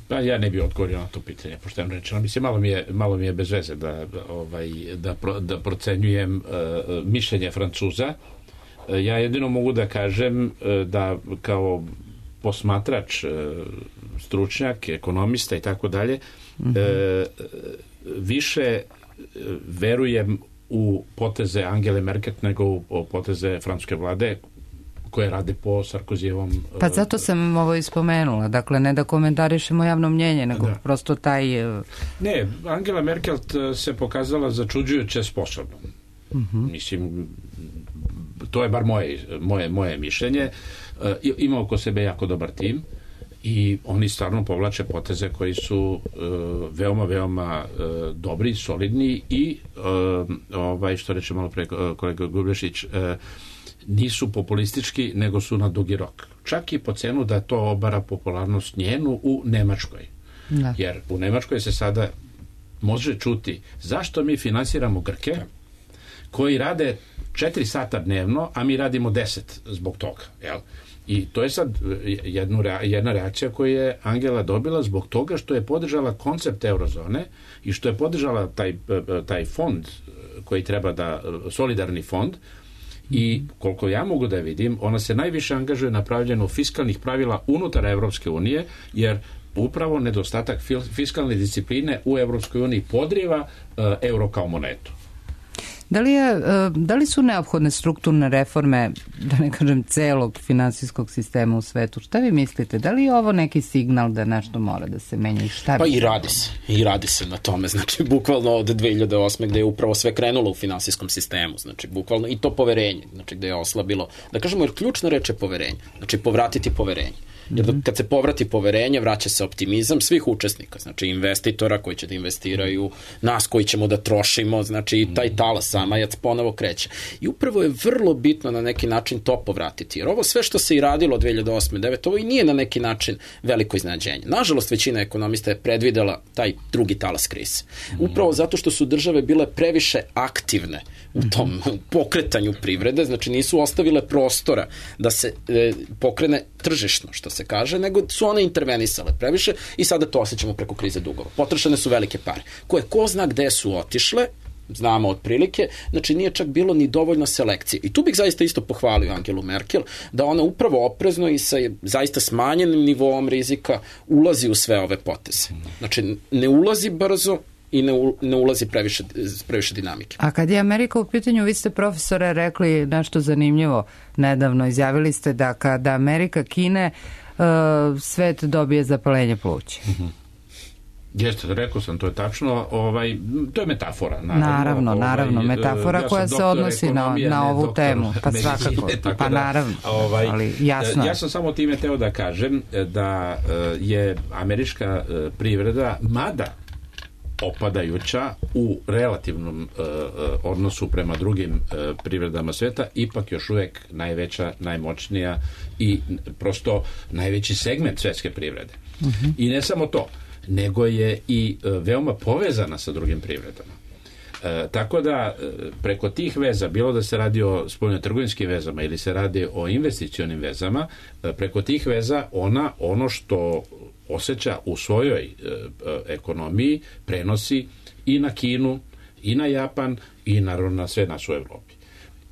Pa ja ne bih odgovorio na to pitanje, pošteno rečeno. Mislim, malo mi je, malo mi je bez veze da, ovaj, da, pro, da procenjujem uh, mišljenje Francuza. Uh, ja jedino mogu da kažem uh, da kao posmatrač, uh, stručnjak, ekonomista i tako dalje, više verujem u poteze Angele Merkel nego u poteze francuske vlade koje rade po Sarkozijevom... Pa zato sam ovo ispomenula. Dakle, ne da komentarišemo javno mnjenje, nego da. Prosto taj... Ne, Angela Merkel se pokazala začuđujuće sposobnom. Uh-huh. Mislim, to je bar moje, moje, moje mišljenje. Ima oko sebe jako dobar tim i oni stvarno povlače poteze koji su uh, veoma, veoma uh, dobri, solidni i uh, ovaj, što reče malo pre kolega Gubrešić, uh, nisu populistički, nego su na dugi rok. Čak i po cenu da to obara popularnost njenu u Nemačkoj. Da. Jer u Nemačkoj se sada može čuti zašto mi finansiramo Grke koji rade četiri sata dnevno, a mi radimo deset zbog toga. Jel? I to je sad jednu, jedna reakcija koju je Angela dobila zbog toga što je podržala koncept eurozone i što je podržala taj, taj fond koji treba da, solidarni fond, i koliko ja mogu da vidim, ona se najviše angažuje na pravljenju fiskalnih pravila unutar Evropske unije, jer upravo nedostatak fiskalne discipline u Evropskoj uniji podriva uh, euro kao monetu. Da li, je, da li su neophodne strukturne reforme, da ne kažem celog finansijskog sistema u svetu? Šta vi mislite? Da li je ovo neki signal da nešto mora da se menja i šta? Pa i radi se. I radi se na tome. Znači, bukvalno od dve hiljade osme gde je upravo sve krenulo u finansijskom sistemu. Znači, bukvalno i to poverenje. Znači, gde je oslabilo. Da kažemo, jer ključna reč je poverenje. Znači, povratiti poverenje. Jer kad se povrati poverenje, vraća se optimizam svih učesnika, znači investitora koji će da investiraju, nas koji ćemo da trošimo, znači i taj talas samajac ponovo kreće. I upravo je vrlo bitno na neki način to povratiti, jer ovo sve što se i radilo od dve hiljade osme devete ovo i nije na neki način veliko iznenađenje. Nažalost, većina ekonomista je predvidela taj drugi talas krize. Upravo zato što su države bile previše aktivne u tom pokretanju privrede, znači nisu ostavile prostora da se e, pokrene tržišno, što se kaže, nego su one intervenisale previše i sada to osjećamo preko krize dugova. Potrošene su velike pare, koje ko zna gde su otišle, znamo otprilike, znači nije čak bilo ni dovoljno selekcije. I tu bih zaista isto pohvalio Angelu Merkel, da ona upravo oprezno i sa zaista smanjenim nivoom rizika ulazi u sve ove poteze. Znači ne ulazi brzo i ne, u, ne ulazi previše, previše dinamike. A kad je Amerika u pitanju, vi ste, profesore, rekli nešto zanimljivo nedavno. Izjavili ste da kada Amerika kine, uh, svet dobije zapalenje pluća. Mm-hmm. Jeste, rekao sam, to je tačno, ovaj, to je metafora. Naravno, naravno, ovaj, naravno metafora ja koja se odnosi na, na ovu doktor, temu, pa svakako, pa da, naravno, ovaj, ali jasno. Ja sam samo time teo da kažem da je američka privreda, mada opadajuća u relativnom uh, odnosu prema drugim uh, privredama sveta, ipak još uvek najveća, najmoćnija i prosto najveći segment svetske privrede. Uh-huh. I ne samo to, nego je i uh, veoma povezana sa drugim privredama. Uh, tako da uh, preko tih veza, bilo da se radi o spoljnotrgovinskim vezama ili se radi o investicionim vezama, uh, preko tih veza ona ono što osjeća u svojoj e, ekonomiji prenosi i na Kinu, i na Japan, i naravno na sve nas u Evropi.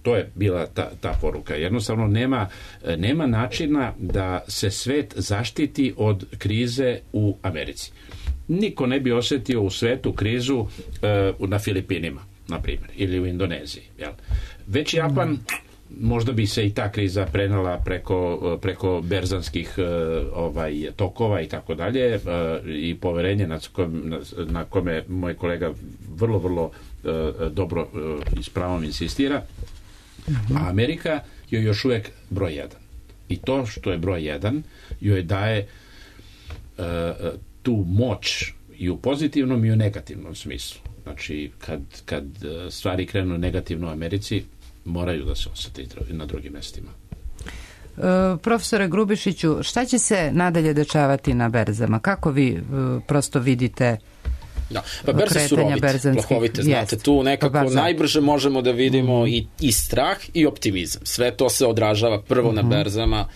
To je bila ta, ta poruka. Jednostavno nema, nema načina da se svet zaštiti od krize u Americi. Niko ne bi osjetio u svetu krizu e, na Filipinima, na primjer, ili u Indoneziji. Jel? Već Japan, možda bi se i ta kriza prenala preko, preko berzanskih ovaj, tokova i tako dalje, i poverenje na kome, na kome moj kolega vrlo, vrlo dobro i s pravom insistira. A Amerika je još uvek broj jedan. I to što je broj jedan joj daje uh, tu moć i u pozitivnom i u negativnom smislu. Znači, kad, kad stvari krenu negativno u Americi, moraju da se osjeti na drugim mestima. E, profesore Grubišiću, šta će se nadalje dešavati na berzama? Kako vi e, prosto vidite da. Pa berze su robite, plahovite, znate, jest, tu nekako pa najbrže možemo da vidimo mm. i, i strah i optimizam. Sve to se odražava prvo mm-hmm. na berzama.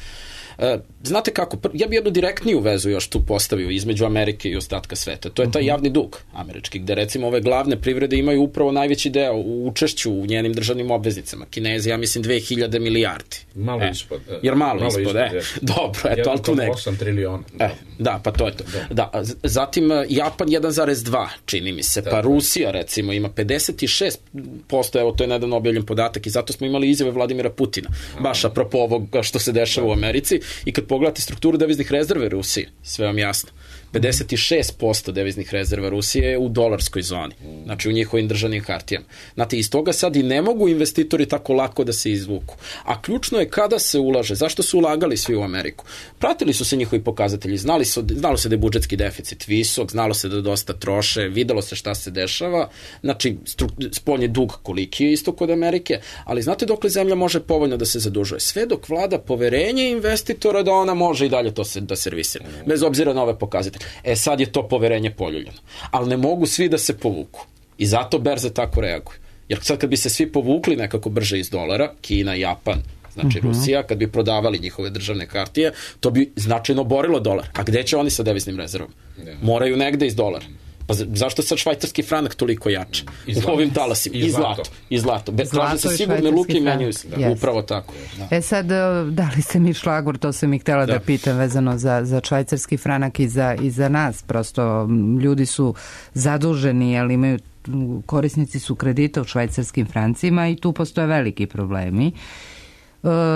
E, znate kako, ja bi jednu direktniju vezu još tu postavio između Amerike i ostatka sveta. To je taj javni dug američki, gde recimo ove glavne privrede imaju upravo najveći deo u učešću u njenim državnim obveznicama. Kinezi, ja mislim, dve hiljade milijardi. Malo e, ispod. E, jer malo, malo ispod, ispod e. Dobro, eto, ali tu nek. osam trilijona. E, da, pa to je to. Da. Da, zatim Japan jedan zarez dva, čini mi se, da, pa Rusija recimo ima pedeset šest posto, evo to je nedavno objavljen podatak i zato smo imali izjave Vladimira Putina, baš apropo ovoga što se dešava da. u Americi. I kad pogledate strukturu deviznih rezerve Rusije, sve vam jasno, pedeset šest posto deviznih rezerva Rusije je u dolarskoj zoni, znači u njihovim državnim hartijama. Znate, iz toga sad i ne mogu investitori tako lako da se izvuku. A ključno je kada se ulaže, zašto su ulagali svi u Ameriku. Pratili su se njihovi pokazatelji, znali su, znalo se da je budžetski deficit visok, znalo se da dosta troše, videlo se šta se dešava, znači spoljni dug koliki je isto kod Amerike, ali znate dokle zemlja može povoljno da se zadužuje? Sve dok vlada poverenje investitora da ona može i dalje to se, da servisira, bez obzira na ove pokazatelje. E sad je to poverenje poljuljeno. Ali ne mogu svi da se povuku. I zato berze tako reaguju. Jer sad kad bi se svi povukli nekako brže iz dolara, Kina, Japan, znači uh-huh. Rusija, kad bi prodavali njihove državne hartije, to bi značajno borilo dolar. A gde će oni sa deviznim rezervom? Moraju negde iz dolara. Pa zašto sad švajcarski franak toliko jače u ovim talasima? I zlato. I zlato. Traže se sigurne luke i menjuju se. Da. Upravo tako. Da. E sad, da li se mi šlagvor, to sam i htjela da, da pitam vezano za, za švajcarski franak i za, i za nas. Prosto ljudi su zaduženi, ali imaju, korisnici su kredita u švajcarskim francima i tu postoje veliki problemi.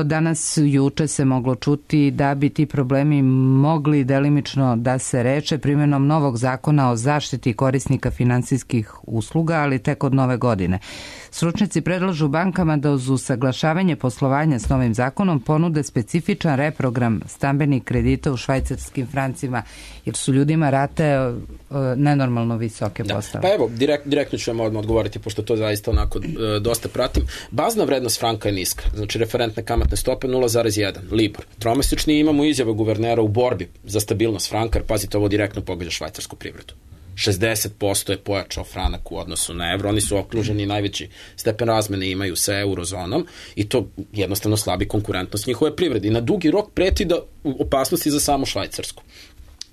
Danas, juče se moglo čuti da bi ti problemi mogli delimično da se reče primjenom novog zakona o zaštiti korisnika finansijskih usluga, ali tek od nove godine. Stručnjaci predlažu bankama da uz usaglašavanje poslovanja s novim zakonom ponude specifičan reprogram stambenih kredita u švajcarskim francima, jer su ljudima rate nenormalno visoke postave. Pa evo, direkt, direktno ću vam odmah odgovoriti, pošto to zaista onako dosta pratim. Bazna vrednost franka je niska, znači referentne kamatne stope nula zarez jedan, Libor. Tromesečni imamo izjave guvernera u borbi za stabilnost franka, jer pazite, ovo direktno pogađa švajcarsku privredu. šezdeset posto je pojačao franak u odnosu na evro, oni su okruženi, najveći stepen razmene imaju sa eurozonom i to jednostavno slabi konkurentnost njihove privrede. I na dugi rok preti da opasnosti za samu Švajcarsku.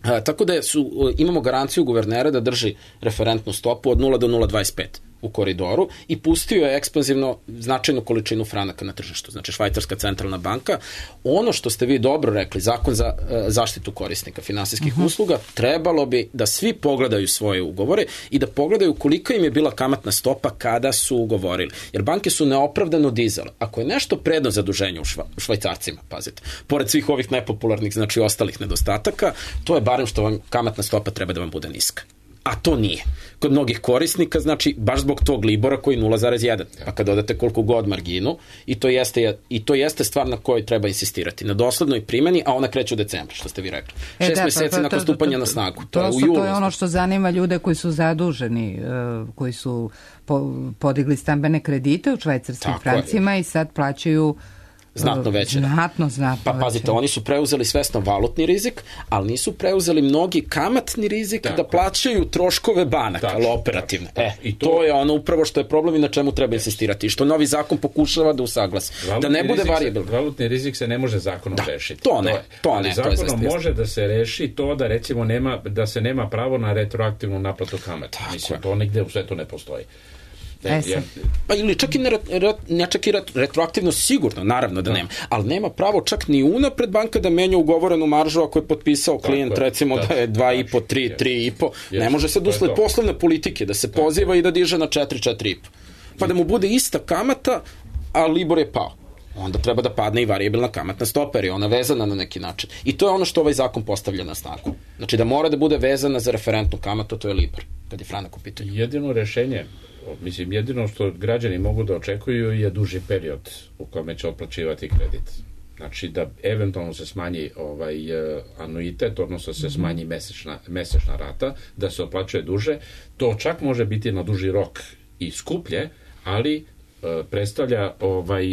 E, tako da su, imamo garanciju guvernera da drži referentnu stopu od nula do nula zarez dvadeset pet u koridoru i pustio je ekspanzivno značajnu količinu franaka na tržištu, znači Švajcarska centralna banka. Ono što ste vi dobro rekli, zakon za e, zaštitu korisnika finansijskih uh-huh. usluga, trebalo bi da svi pogledaju svoje ugovore i da pogledaju koliko im je bila kamatna stopa kada su ugovorili. Jer banke su neopravdano dizale. Ako je nešto predno zaduženje u, šva, u švajcarcima, pazite, pored svih ovih nepopularnih, znači ostalih nedostataka, to je barem što vam kamatna stopa treba da vam bude niska. a to nije. Kod mnogih korisnika, znači, baš zbog tog Libora koji nula zarez jedan. Pa kad dodate koliko god marginu, i to jeste, i to jeste stvar na kojoj treba insistirati. Na doslednoj primjeni, a ona kreće u decembru, što ste vi rekli. E, Šest da, meseci pa, pa, nakon to, stupanja to, to, na snagu. To, to, to, je, u julu, to je ono što zanima ljude koji su zaduženi, koji su po, podigli stambene kredite u švajcarskim Tako francima je. I sad plaćaju znatno veće. Znatno, znatno Pa pazite, veće. oni su preuzeli svesno valutni rizik, ali nisu preuzeli mnogi kamatni rizik tako, da plaćaju troškove banaka, ali operativne. Tako, e, i to, to je ono upravo što je problem i na čemu treba insistirati. I što novi zakon pokušava da usaglasi. Da ne bude variabilno. Valutni rizik se ne može zakonom da, rešiti. To ne, to, to ne. ne. Zakonom to može da se reši to da recimo nema, da se nema pravo na retroaktivnu naplatu kamata. Mislim, to nigde u svetu ne postoji. E, ja. Pa ili čak i, ne, ne čak i retroaktivno sigurno, naravno da nema, ali nema pravo čak ni unapred banka da menja ugovorenu maržu ako je potpisao klijent tako, recimo da, da je dva i po, tri, tri i po, ne može se usled poslovne politike da se poziva i da diže na četiri, četiri i po. Pa da mu bude ista kamata, a Libor je pao. Onda treba da padne i variabilna kamatna stopa, jer je ona vezana na neki način. I to je ono što ovaj zakon postavlja na snagu. Znači da mora da bude vezana za referentnu kamatu, to je Libor, kad je franak u pitanju. Jedino rešenje, mislim, jedino što građani mogu da očekuju je duži period u kome će otplaćivati kredit. Znači da eventualno se smanji ovaj anuitet, odnosno se smanji mesečna, mesečna rata, da se otplaćuje duže. To čak može biti na duži rok i skuplje, ali predstavlja ovaj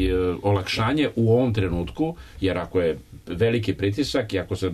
olakšanje u ovom trenutku, jer ako je veliki pritisak i ako se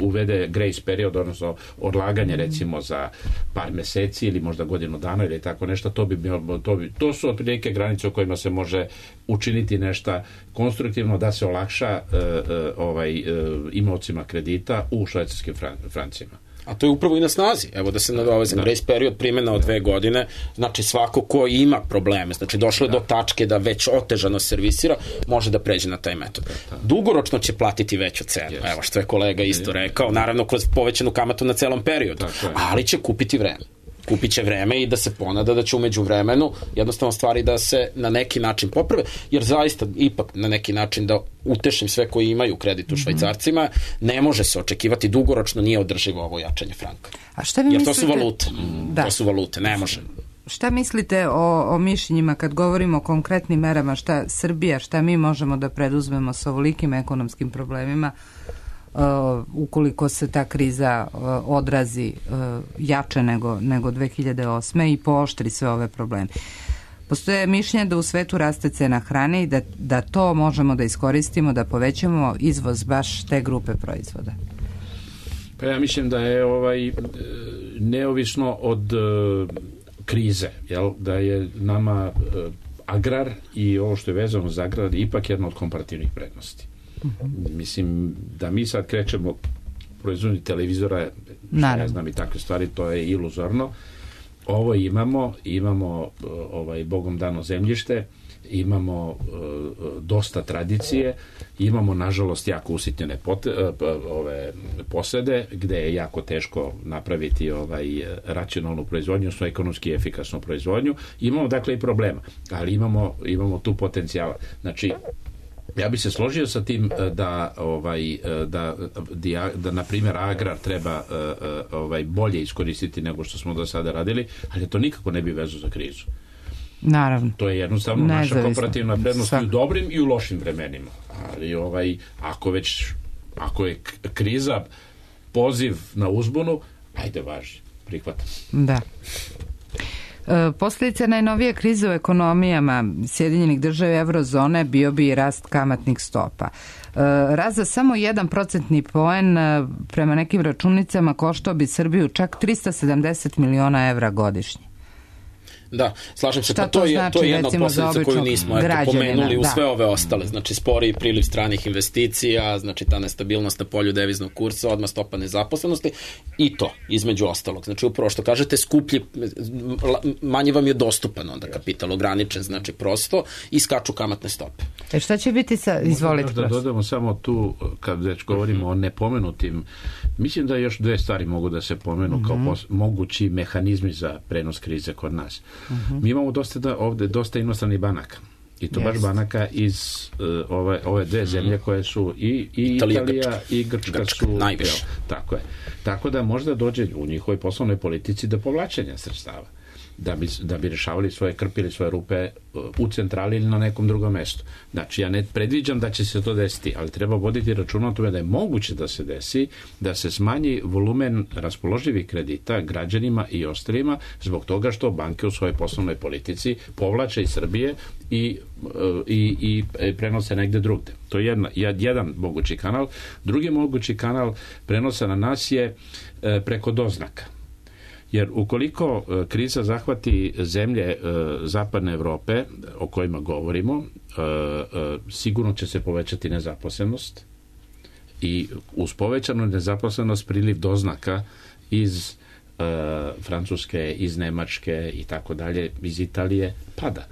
uvede grace period, odnosno odlaganje recimo za par meseci ili možda godinu dana ili tako nešto, to bi to, bi, to su otprilike granice u kojima se može učiniti nešto konstruktivno da se olakša uh, uh, ovaj uh, imaocima kredita u švajcarskim fran, francima. A to je upravo i na snazi. Evo da se nadovezam, grace period primjena od dve godine, znači svako ko ima probleme, znači došlo je do tačke da već otežano servisira, može da pređe na taj metod. Dugoročno će platiti veću cenu, evo što je kolega isto rekao, naravno kroz povećanu kamatu na celom periodu, ali će kupiti vreme. Kupit će vreme i da se ponada da će umeđu vremenu jednostavno stvari da se na neki način poprave, jer zaista ipak na neki način da utešim sve koji imaju kredit u Švajcarcima, ne može se očekivati dugoročno, nije održivo ovo jačanje franka. A šta vi jer mislite? to su valute, da. to su valute, ne može. Šta mislite o, o mišljenjima kad govorimo o konkretnim merama, šta Srbija, šta mi možemo da preduzmemo sa ovolikim ekonomskim problemima, Uh, ukoliko se ta kriza uh, odrazi uh, jače nego, nego dve hiljade osme i pooštri sve ove probleme. Postoje mišljenje da u svetu raste cena hrane i da, da to možemo da iskoristimo, da povećamo izvoz baš te grupe proizvoda. Pa ja mislim da je ovaj neovisno od uh, krize, jel, da je nama uh, agrar i ovo što je vezano za agrar ipak jedna od komparativnih prednosti. Uh-huh. Mislim, da mi sad krećemo proizvodnju televizora, ne znam i takve stvari, to je iluzorno. Ovo imamo, imamo ovaj, Bogom dano zemljište, imamo uh, dosta tradicije, imamo nažalost jako usitnjene pote, uh, ove posede, gde je jako teško napraviti ovaj racionalnu proizvodnju, odnosno ekonomski efikasnu proizvodnju. Imamo dakle i problema, ali imamo, imamo tu potencijala. Znači, ja bih se složio sa tim da ovaj da da, da na primjer agrar treba ovaj bolje iskoristiti nego što smo do sada radili, ali to nikako ne bi vezu za krizu. Naravno. To je jednostavno naša komparativna prednost i u dobrim i u lošim vremenima. Ali ovaj ako već ako je kriza poziv na uzbunu, ajde važi, prihvatam. Da. Posljedica najnovije krize u ekonomijama Sjedinjenih država i eurozone bio bi i rast kamatnih stopa. Rast za samo jedan procentni poen prema nekim računicama koštao bi Srbiju čak trista sedamdeset miliona evra godišnje. Da, slažem se, šta pa to, to je, znači, to je jedna od posljedica koju nismo eto, pomenuli u da. sve ove ostale. Znači, spori priliv stranih investicija, znači ta nestabilnost na polju deviznog kursa, odmah stopa nezaposlenosti i to, između ostalog. Znači, upravo što kažete, skuplji, manje vam je dostupan onda kapital, ograničen, znači prosto, i skaču kamatne stope. E šta će biti sa, izvolite. Možda da dodamo samo tu, kad već govorimo uh-huh. o nepomenutim, mislim da još dve stvari mogu da se pomenu uh-huh. kao pos, mogući mehanizmi za prenos krize kod nas. Uh-huh. Mi imamo dosta da, ovde dosta inostranih banaka I to Jest. baš banaka iz uh, ove, ove dve zemlje koje su i, i Italija, Italija Grčka. i Grčka, Grčka, su najviše. jel, tako je. Tako da možda dođe u njihovoj poslovnoj politici do povlačenja sredstava, da bi, da bi rešavali svoje, krpili svoje rupe u centrali ili na nekom drugom mestu. Znači, ja ne predviđam da će se to desiti, ali treba voditi računa o tome da je moguće da se desi, da se smanji volumen raspoloživih kredita građanima i ostalima zbog toga što banke u svojoj poslovnoj politici povlače iz Srbije i, i, i prenose negde drugde. To je jedna, jedan mogući kanal. Drugi mogući kanal prenosa na nas je preko doznaka. Jer ukoliko e, kriza zahvati zemlje e, zapadne Evrope o kojima govorimo, e, e, sigurno će se povećati nezaposlenost i uz povećanu nezaposlenost priliv doznaka iz e, Francuske, iz Nemačke i tako dalje, iz Italije pada.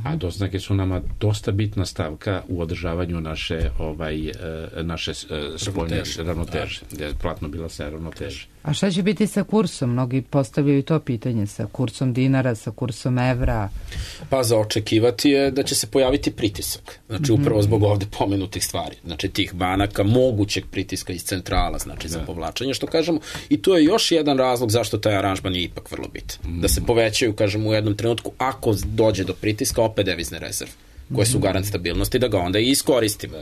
A doznake su nama dosta bitna stavka u održavanju naše ovaj naše spoljne ravnoteže, platno bilansne ravnoteže. A šta će biti sa kursom? Mnogi postavljaju to pitanje, sa kursom dinara, sa kursom evra. Pa za očekivati je da će se pojaviti pritisak. Znači upravo zbog ovde pomenutih stvari. Znači tih banaka, mogućeg pritiska iz centrala, znači za povlačenje, što kažemo. I to je još jedan razlog zašto taj aranžman je ipak vrlo bitan. Da se povećaju, kažemo, u jednom trenutku, ako dođe do pritiska, opet devizne rezerve, koje su garant stabilnosti, da ga onda i iskoristimo.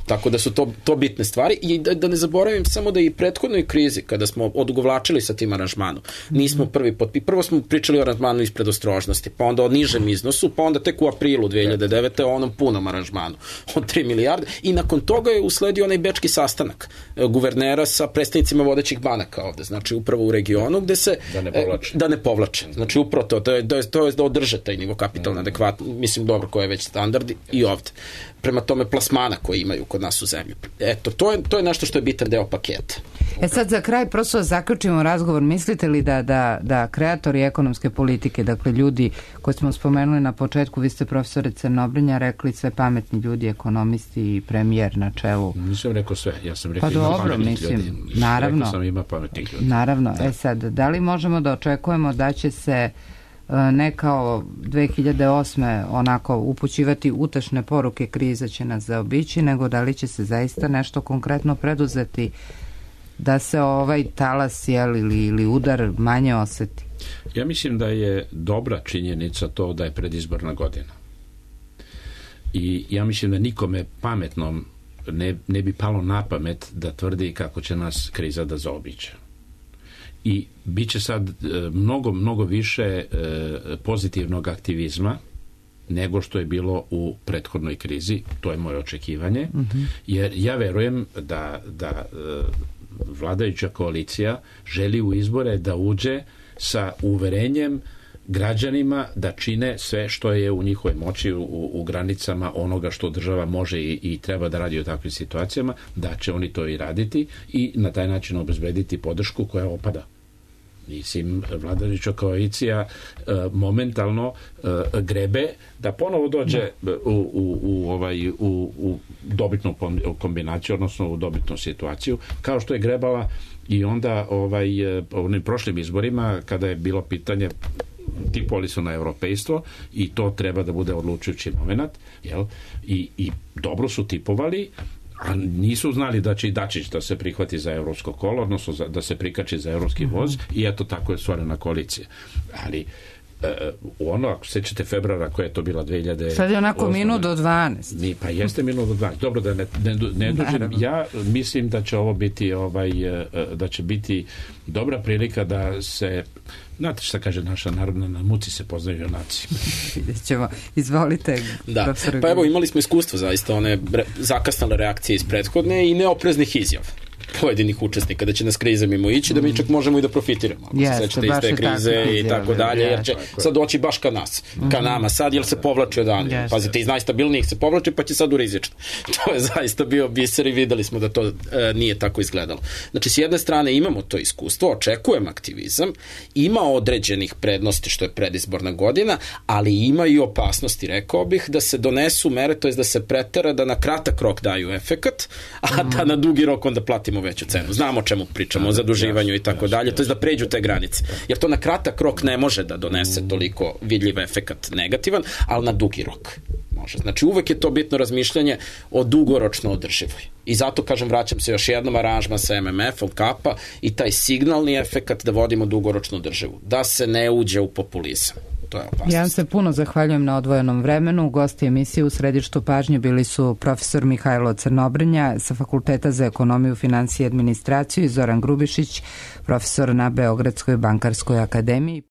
Tako da su to, to bitne stvari i da, da ne zaboravim samo da i prethodnoj krizi kada smo odugovlačili sa tim aranžmanom, nismo prvi potpi, prvo smo pričali o aranžmanu iz predostrožnosti, pa onda o nižem iznosu, pa onda tek u aprilu dve hiljade devete o onom punom aranžmanu od tri milijarde i nakon toga je usledio onaj bečki sastanak guvernera sa predstavnicima vodećih banaka ovde, znači upravo u regionu gde se da ne povlače, da ne povlače. Znači upravo to, to je, to je, to je da održe taj nivo kapitalna adekvatno, mislim dobro koji je već standard i ovde. Prema tome plasmana koje imaju kod nas u zemlji. Eto, to je, to je nešto što je bitan deo paketa. E sad za kraj, prosto zaključimo razgovor. Mislite li da, da, da kreatori ekonomske politike, dakle ljudi koji smo spomenuli na početku, vi ste profesore Crnobrinja rekli sve pametni ljudi, ekonomisti i premijer na čelu. Nisam rekao sve, ja sam rekao pa ima dobro, pametnih mislim, ljudi. Naravno, rekao sam ima pametnih ljudi. Naravno, da. E sad, da li možemo da očekujemo da će se ne kao dve hiljade osme onako upućivati utašne poruke kriza će nas zaobići, nego da li će se zaista nešto konkretno preduzeti da se ovaj talas jel, ili, ili udar manje oseti? Ja mislim da je dobra činjenica to da je predizborna godina. I ja mislim da nikome pametnom ne, ne bi palo na pamet da tvrdi kako će nas kriza da zaobiće. I bit će sad mnogo, mnogo više pozitivnog aktivizma nego što je bilo u prethodnoj krizi. To je moje očekivanje. Mm-hmm. Jer ja verujem da, da vladajuća koalicija želi u izbore da uđe sa uverenjem građanima da čine sve što je u njihovoj moći u, u granicama onoga što država može i, i treba da radi u takvim situacijama, da će oni to i raditi i na taj način obezbediti podršku koja opada. Mislim, vladajuća koalicija e, momentalno e, grebe da ponovo dođe u, u, u, ovaj, u, u dobitnu kombinaciju, odnosno u dobitnu situaciju, kao što je grebala i onda ovaj, onim prošlim izborima kada je bilo pitanje tipovali su na europejstvo i to treba da bude odlučujući moment, jel? I, i dobro su tipovali, a nisu znali da će i Dačić da se prihvati za evropsko kolo, odnosno za, da se prikači za evropski voz mm-hmm. i eto tako je stvorena koalicija. Ali u ono, ako sećate februara koja je to bila dve hiljade Sad je onako minut do dvanaest. Ni, pa jeste minut do dvanaest. Dobro da ne, ne, ne dužim. Ja mislim da će ovo biti ovaj, da će biti dobra prilika da se, znate šta kaže naša narodna, na muci se poznaju junaci. Vidjet ćemo. Izvolite. Da. Pa evo imali smo iskustvo zaista one re, zakasnale reakcije iz prethodne i neopreznih izjava pojedinih učesnika da će nas kriza mimo ići, da mi čak možemo i da profitiramo. Ako yes, se sećate iz te krize i tako dalje, jer će sad doći baš ka nas, ka nama sad, jer se povlači odavde. Yes. Pazite, iz najstabilnijih se povlači, pa će sad u rizični. To je zaista bio biser i videli smo da to e, nije tako izgledalo. Znači, s jedne strane imamo to iskustvo, očekujem aktivizam, ima određenih prednosti što je predizborna godina, ali ima i opasnosti, rekao bih, da se donesu mere, to je da se pretera, da na kratak rok daju efekat, a mm. da na dugi rok onda platimo veću cenu. Znamo o čemu pričamo, o zaduživanju i tako dalje, to je da pređu te granice. Jer to na kratak rok ne može da donese toliko vidljiv efekat negativan, ali na dugi rok može. Znači uvek je to bitno razmišljanje o dugoročno održivoj. I zato, kažem, vraćam se još jednom, aranžman sa M M F-om, Kapa i taj signalni efekat da vodimo dugoročno održivu. Da se ne uđe u populizam. To je opasnost. Ja vam se puno zahvaljujem na odvojenom vremenu. Gosti emisije u središtu pažnje bili su profesor Mihajlo Crnobrnja sa Fakulteta za ekonomiju, finansije i administraciju i Zoran Grubišić, profesor na Beogradskoj bankarskoj akademiji.